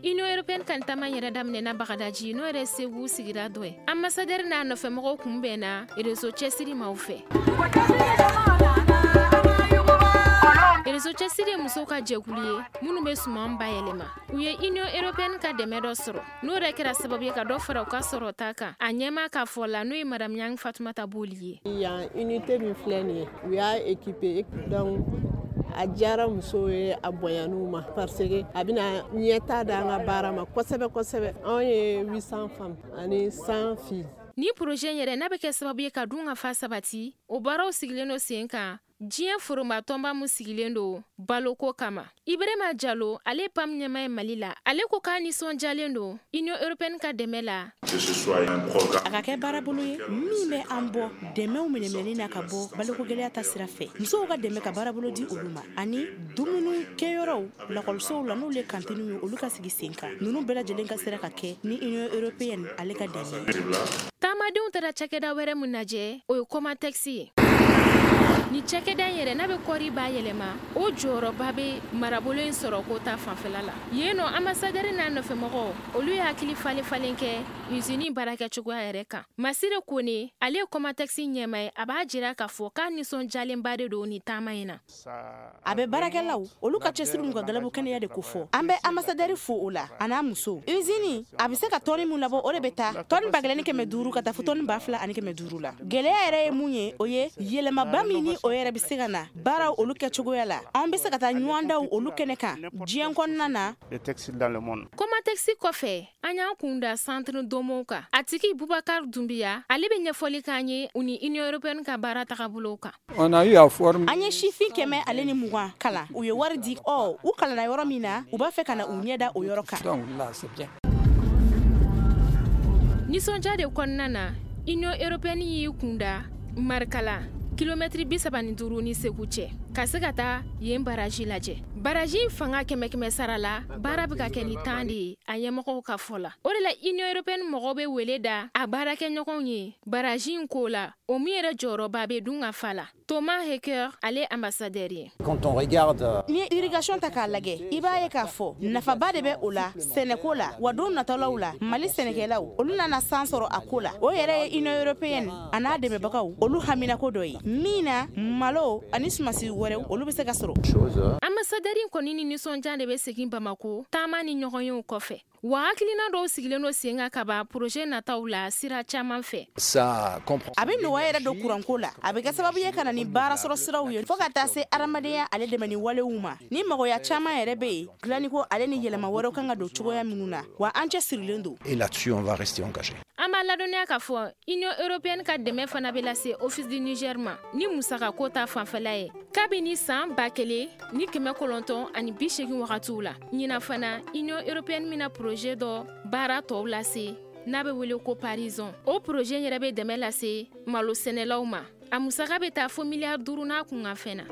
Union européenne ka taama yɛrɛ daminɛna Bagadaji, n'o yɛrɛ Segu sigira dɔ ye. Ambassadeur n'a nɔfɛmɔgɔw kunbɛnna Réseau Cɛsiri maaw fɛ. Réseau Cɛsiri ye musow ka jɛkulu ye minnu bɛ suman bayɛlɛma. U ye Union européenne ka dɛmɛ dɔ sɔrɔ, n'o yɛrɛ kɛra sababu ye ka dɔ fara u ka sɔrɔta kan. A ɲɛmaa ka fɔ la, n'o ye madame Ɲang Fatumata Boli ye. Yan unité min filɛ nin ye, u y'a équipé, donc a diyara musow ye, a bonyan'u ma, parce que a bɛna ɲɛta d'an ka baara ma kosɛbɛ kosɛbɛ. Anw ye 800 femmes ani 100 filles. Ni projet yɛrɛ n'a bɛ kɛ sababu ye ka dun ka fa sabati, o baaraw sigilen don sen kan diɲɛ forobatɔnba min sigilen don baloko kama. Ibrahima Jalo, ale PAM ɲɛmaa ye Mali la, ale ko k'a nisɔndiyalen don Union européenne ka dɛmɛ la. A ka kɛ baarabolo ye min bɛ an bɔ dɛmɛw minɛminɛni na ka bɔ baloko gɛlɛya ta sira fɛ, musow ka dɛmɛ ka baarabolo di olu ma, ani dumuni kɛyɔrɔw lakɔlisow la, n'olu ye kantiniw ye, olu ka sigi sen kan. Ninnu bɛɛ lajɛlen ka sera ka kɛ ni Union européenne ale ka dɛmɛ. Taamadenw taara cakɛda wɛrɛ min lajɛ, o ye Comatex ye. Ni cakɛda in yɛrɛ n'a bɛ kɔɔri bayɛlɛma, o jɔyɔrɔba bɛ marabolo in sɔrɔ ko ta fanfɛla la. Yen nɔ, ambassadeur n'a nɔfɛmɔgɔw, olu ye hakili falen falen kɛ usine baarakɛcogoya yɛrɛ kan. Masire Kone, ale ye Comatex ɲɛmaa ye, a b'a jira k'a fɔ k'a nisɔndiyalenba de don nin taama in na. A bɛ baarakɛlaw olu ka cɛsiri n'u ka galabu kɛnɛya de kofɔ. An bɛ ambassadeur fo o la, a n'a muso. Usine a bɛ se ka tɔni min labɔ, o de bɛ taa tɔni 1500 ka taa fo tɔni 2500 la. Gɛlɛya yɛrɛ ye mun ye, o ye yɛlɛmaba min ni o yɛrɛ bɛ se ka na baaraw olu kɛcogoya la. An bɛ se ka taa ɲɔgɔndaw olu kɛnɛ kan diɲɛ kɔnɔna na. Comatex kɔfɛ, an y'an kun da centre Domo kan. A tigi Bubakar Dunbiya, ale bɛ ɲɛfɔli k'an ye u ni Union européenne ka baara tagabolow kan. An ye sifin 120 kalan, u ye wari di. Ɔ, u kalanna yɔrɔ min na, u b'a fɛ ka na u ɲɛ da o yɔrɔ kan. Nisɔndiya de kɔnɔna na, Union européenne y'i kun da Marikala, kilomɛtiri 35 ni Segu cɛ, ka se ka taa yen baraji lajɛ. Baraji in fanga kɛmɛ kɛmɛ sara la, baara bɛ ka kɛ ni 10 de ye, a ɲɛmɔgɔw ka fɔ la. O de la Union européenne mɔgɔw bɛ wele da a baarakɛɲɔgɔnw ye baraji in ko la, o min yɛrɛ jɔyɔrɔba bɛ dun ka fa la. Thomas Hecker, ale ambassadeur ye. N'i ye irrigation ta k'a lajɛ, i b'a ye k'a fɔ nafaba de bɛ o la sɛnɛko la. Wa don natɔlaw la, Mali sɛnɛkɛlaw olu nana san sɔrɔ a ko la. O yɛrɛ ye Union européenne a n'a dɛmɛbagaw olu haminako dɔ ye min na malo ani sumasi wɛrɛw olu bɛ se ka sɔrɔ. Ambassadeur in kɔni ni nisɔndiya de bɛ segin Bamako taama ni ɲɔgɔnyew kɔfɛ. Wa hakilina dɔw sigilen don sen kan ka ban projet nataw la sira caman fɛ. A bɛ nɔgɔya yɛrɛ don kuranko la, a bɛ kɛ sababu ye ka na ni baara sɔrɔ siraw ye, fo ka taa se adamadenya ale dɛmɛ ni walew ma. Ni magoya caman yɛrɛ bɛ yen, dilaniko ale ni yɛlɛma wɛrɛw kan ka don cogoya minnu na, wa an cɛ sirilen don. An b'a ladɔnniya k'a fɔ Union européenne ka dɛmɛ fana bɛ lase Office du Niger ma ni musakako ta fanfɛla ye kabini san 1980 wagatiw la. Ɲinan fana, Union européenne bɛna projet dɔ baara tɔw lase n'a bɛ wele ko Parizon. O projet yɛrɛ bɛ dɛmɛ lase malo sɛnɛlaw ma. A musaka bɛ taa fo miliyari 5 n'a kunkanfɛn na.